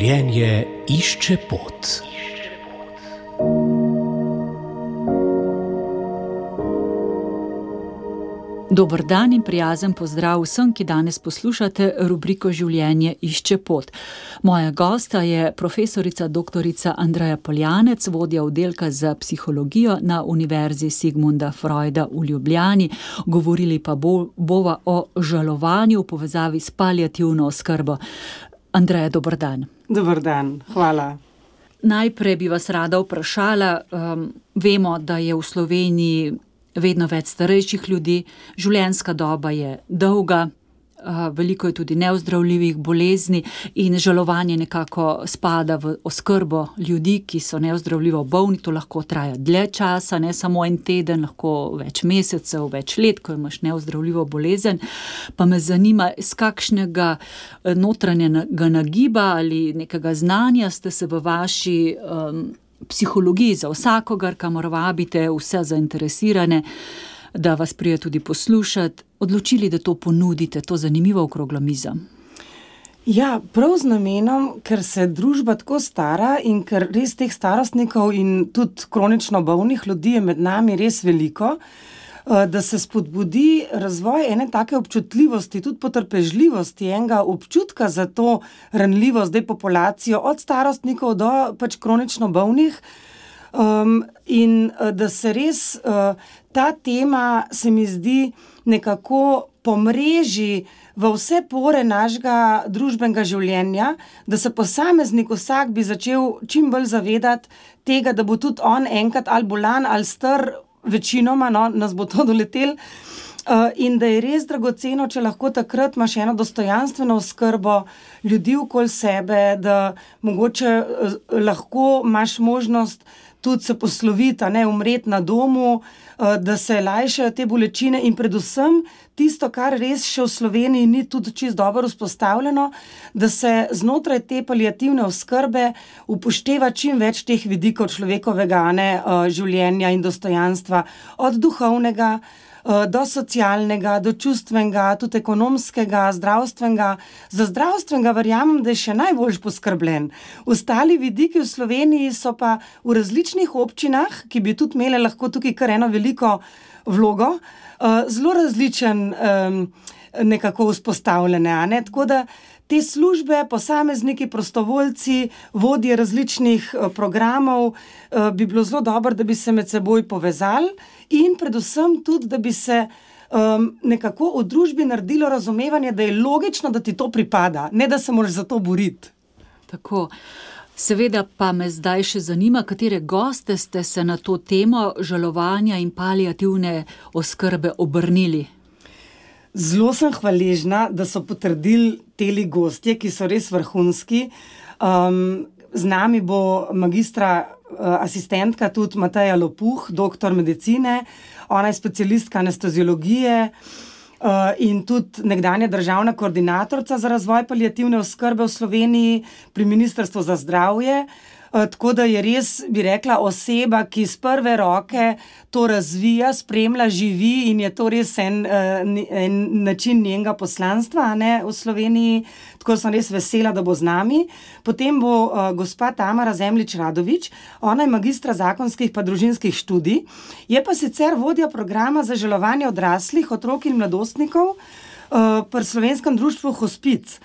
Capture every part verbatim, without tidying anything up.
Življenje išče pot. Dober dan in prijazen pozdrav vsem, ki danes poslušate rubriko Življenje išče pot. Moja gosta je profesorica doktorica Andreja Poljanec, vodja oddelka za psihologijo na Univerzi Sigmunda Freuda v Ljubljani. Govorili pa bo, bova o žalovanju v povezavi s paliativno oskrbo. Andreja, dober dan. Dober dan, hvala. Najprej bi vas rada vprašala, um, vemo, da je v Sloveniji vedno več starejših ljudi, življenjska doba je dolga, veliko je tudi neozdravljivih bolezni in žalovanje nekako spada v oskrbo ljudi, ki so neozdravljivo bolni. To lahko traja dlje časa, ne samo en teden, lahko več mesecev, več let, ko imaš neozdravljivo bolezen. Pa me zanima, iz kakšnega notranjega nagiba ali nekega znanja ste se v vaši um, psihologiji za vsakogar, kamor vabite vse zainteresirane, da vas prije tudi poslušati, odločili, da to ponudite, to zanimivo okroglo mizo? Ja, prav z namenom, ker se družba tako stara in ker res teh starostnikov in tudi kronično bolnih ljudi je med nami res veliko, da se spodbudi razvoj ene take občutljivosti, tudi potrpežljivosti, enega občutka za to ranljivost, zdaj populacijo, od starostnikov do pač kronično bolnih, um, in da se res uh, ta tema, se mi zdi, nekako pomreži v vse pore našega družbenega življenja, da se posameznik vsak bi začel čim bolj zavedati tega, da bo tudi on enkrat ali bolan ali star, večinoma, no, nas bo to doletel, uh, in da je res dragoceno, če lahko takrat imaš eno dostojanstveno oskrbo ljudi okoli sebe, da mogoče uh, lahko imaš možnost tudi se posloviti, a ne umreti na domu, uh, da se lajšajo te bolečine in predvsem tisto, kar res še v Sloveniji ni tudi čisto dobro vzpostavljeno, da se znotraj te paliativne oskrbe upošteva čim več teh vidikov človekovega, ne, uh, življenja in dostojanstva, od duhovnega uh, do socialnega, do čustvenega, tudi ekonomskega, zdravstvenega. Za zdravstvenega verjamem, da je še najbolj poskrbljen. Ostali vidiki v Sloveniji so pa v različnih občinah, ki bi tudi imele lahko tukaj kar eno veliko vlogo, uh, zelo različen um, nekako vzpostavljene, a ne? Tako da te službe, posamezniki, prostovoljci, vodje različnih uh, programov, uh, bi bilo zelo dobro, da bi se med seboj povezali in predvsem tudi, da bi se um, nekako v družbi naredilo razumevanje, da je logično, da ti to pripada, ne da se moraš za to boriti. Tako. Seveda pa me zdaj še zanima, katere goste ste se na to temo žalovanja in paliativne oskrbe obrnili. Zelo sem hvaležna, da so potrdili teli gostje, ki so res vrhunski. Um, z nami bo magistra uh, asistentka tudi Mateja Lopuh, doktor medicine, ona je specialistka anesteziologije, Uh, in tudi nekdanja državna koordinatorica za razvoj paliativne oskrbe v Sloveniji pri Ministrstvu za zdravje. Uh, tako da je res, bi rekla, oseba, ki z prve roke to razvija, spremlja, živi in je to res en, uh, en način njenega poslanstva, ne, v Sloveniji. Tako sem res vesela, da bo z nami. Potem bo uh, gospa Tamara Zemljič-Radovič, ona je magistra zakonskih pa družinskih študij, je pa sicer vodja programa za žalovanje odraslih, otrok in mladostnikov uh, pri Slovenskem društvu Hospic.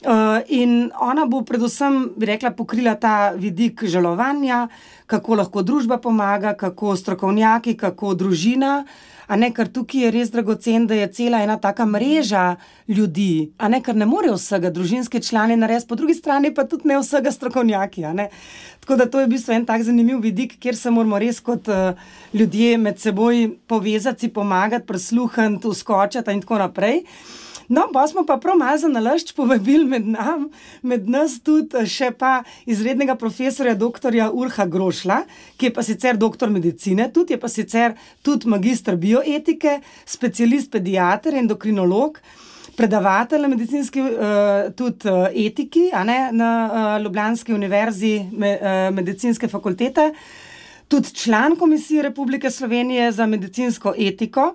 Uh, in ona bo predvsem, bi rekla, pokrila ta vidik žalovanja, kako lahko družba pomaga, kako strokovnjaki, kako družina, a ne, ker tukaj je res dragocen, da je cela ena taka mreža ljudi, a ne, ker ne more vsega družinski člani narediti, po drugi strani pa tudi ne vsega strokovnjaki, a ne. Tako da to je v bistvu en tak zanimiv vidik, kjer se moramo res kot uh, ljudje med seboj povezati, si pomagati, prisluhniti, uskočiti in tako naprej. No, pa smo pa prav malo za nalašč povabili med nam, med nas tudi še pa izrednega profesorja doktorja Urha Grošla, ki je pa sicer doktor medicine, tudi je pa sicer tudi magister bioetike, specialist pediater, endokrinolog, predavatelj na medicinski uh, tudi uh, etiki, a ne, na uh, Ljubljanski univerzi me, uh, medicinske fakultete. tudi član Komisije Republike Slovenije za medicinsko etiko.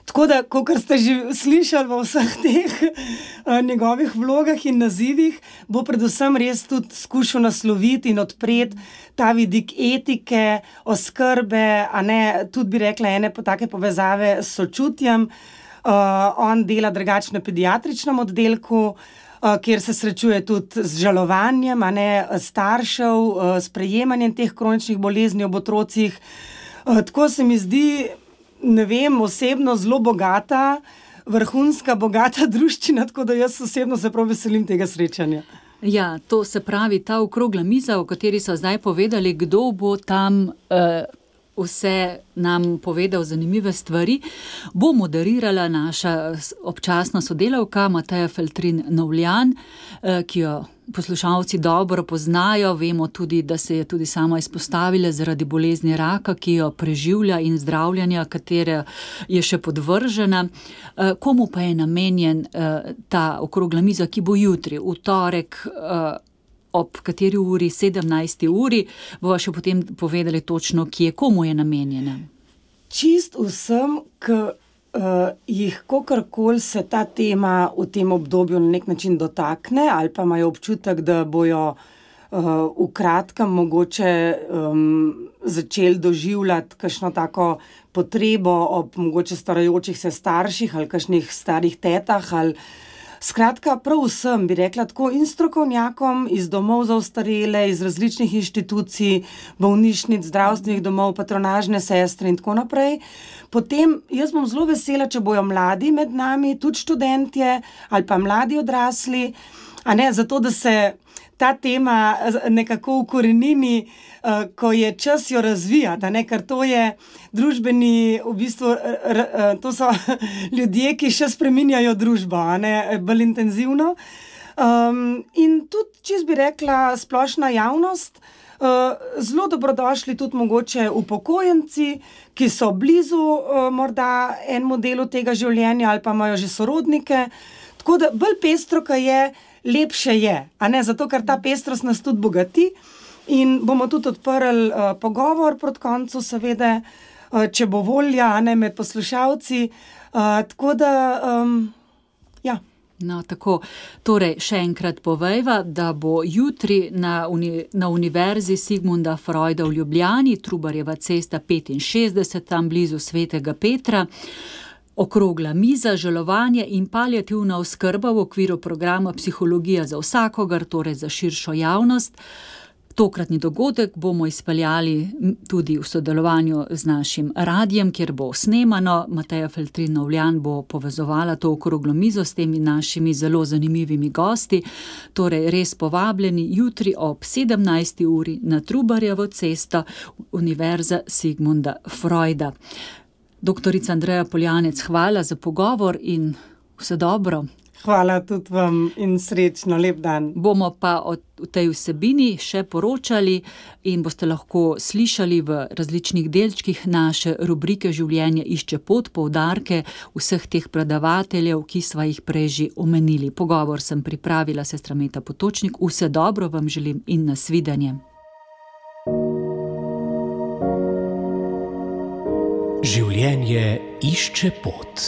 Tako da, kot ste že slišali v vseh teh uh, njegovih vlogah in nazivih, bo predvsem res tudi skušal nasloviti in odpreti ta vidik etike, oskrbe, a ne, tudi bi rekla ene po take povezave s sočutjem. Uh, on dela drugače na pediatričnem oddelku, uh, kjer se srečuje tudi z žalovanjem, a ne, staršev, uh, s prejemanjem teh kroničnih bolezni ob otrocih. Uh, tako se mi zdi, ne vem, osebno zelo bogata, vrhunska, bogata druščina, tako da jaz osebno se prav veselim tega srečanja. Ja, to se pravi, ta okrogla miza, o kateri so zdaj povedali, kdo bo tam uh, vse nam povedal zanimive stvari, bo moderirala naša občasna sodelavka Mateja Feltrin-Novljan, uh, ki jo poslušalci dobro poznajo. Vemo tudi, da se je tudi sama izpostavila zaradi bolezni raka, ki jo preživlja in zdravljanja, katere je še podvržena. Komu pa je namenjen ta okrogla miza, ki bo jutri, v torek, ob kateri uri, sedemnajsti uri, bova še potem povedali točno, kje, komu je namenjena? Čist vsem, k Uh, jih kakorkoli se ta tema v tem obdobju na nek način dotakne ali pa imajo občutek, da bojo uh, v kratkem mogoče um, začeli doživljati kakšno tako potrebo ob mogoče starajočih se starših ali kakšnih starih tetah ali skratka, prav vsem bi rekla tako in strokovnjakom iz domov za ostarele, iz različnih inštitucij, bolnišnic, zdravstvenih domov, patronažne sestre in tako naprej. Potem jaz bom zelo vesela, če bojo mladi med nami, tudi študentje ali pa mladi odrasli, a ne, zato da se ta tema nekako ukorenini, uh, ko je čas jo razvijati, a ne, ker to je družbeni, v bistvu, r, r, to so ljudje, ki še spreminjajo družbo, a ne, bolj intenzivno. Um, in tudi, če bi rekla, splošna javnost, uh, zelo dobrodošli tudi mogoče upokojenci, ki so blizu uh, morda enemu delu tega življenja ali pa imajo že sorodnike. Tako da bolj pestro, ka je, lepše je, a ne, zato ker ta pestrost nas tudi bogati in bomo tudi odprli uh, pogovor proti koncu, seveda, uh, če bo volja, a ne, med poslušalci, uh, tako da, um, ja. No, tako, torej, še enkrat povejva, da bo jutri na, uni, na Univerzi Sigmunda Freuda v Ljubljani, Trubarjeva cesta petinšestdeset, tam blizu Svetega Petra, okrogla miza, žalovanje in paliativna oskrba v okviru programa Psihologija za vsakogar, torej za širšo javnost. Tokratni dogodek bomo izpeljali tudi v sodelovanju z našim radiem, kjer bo snemano. Mateja Feltrin-Novljan bo povezovala to okroglo mizo s temi našimi zelo zanimivimi gosti. Torej, res povabljeni jutri ob sedemnajsti uri na Trubarjevo cesto, Univerza Sigmunda Freuda. Doktorica Andreja Poljanec, hvala za pogovor in vse dobro. Hvala tudi vam in srečno, lep dan. Bomo pa o tej vsebini še poročali in boste lahko slišali v različnih delčkih naše rubrike Življenje išče pot, poudarke vseh teh predavateljev, ki sva jih prej že omenili. Pogovor sem pripravila sestra Meta Potočnik. Vse dobro vam želim in nasvidenje. Življenje išče pot.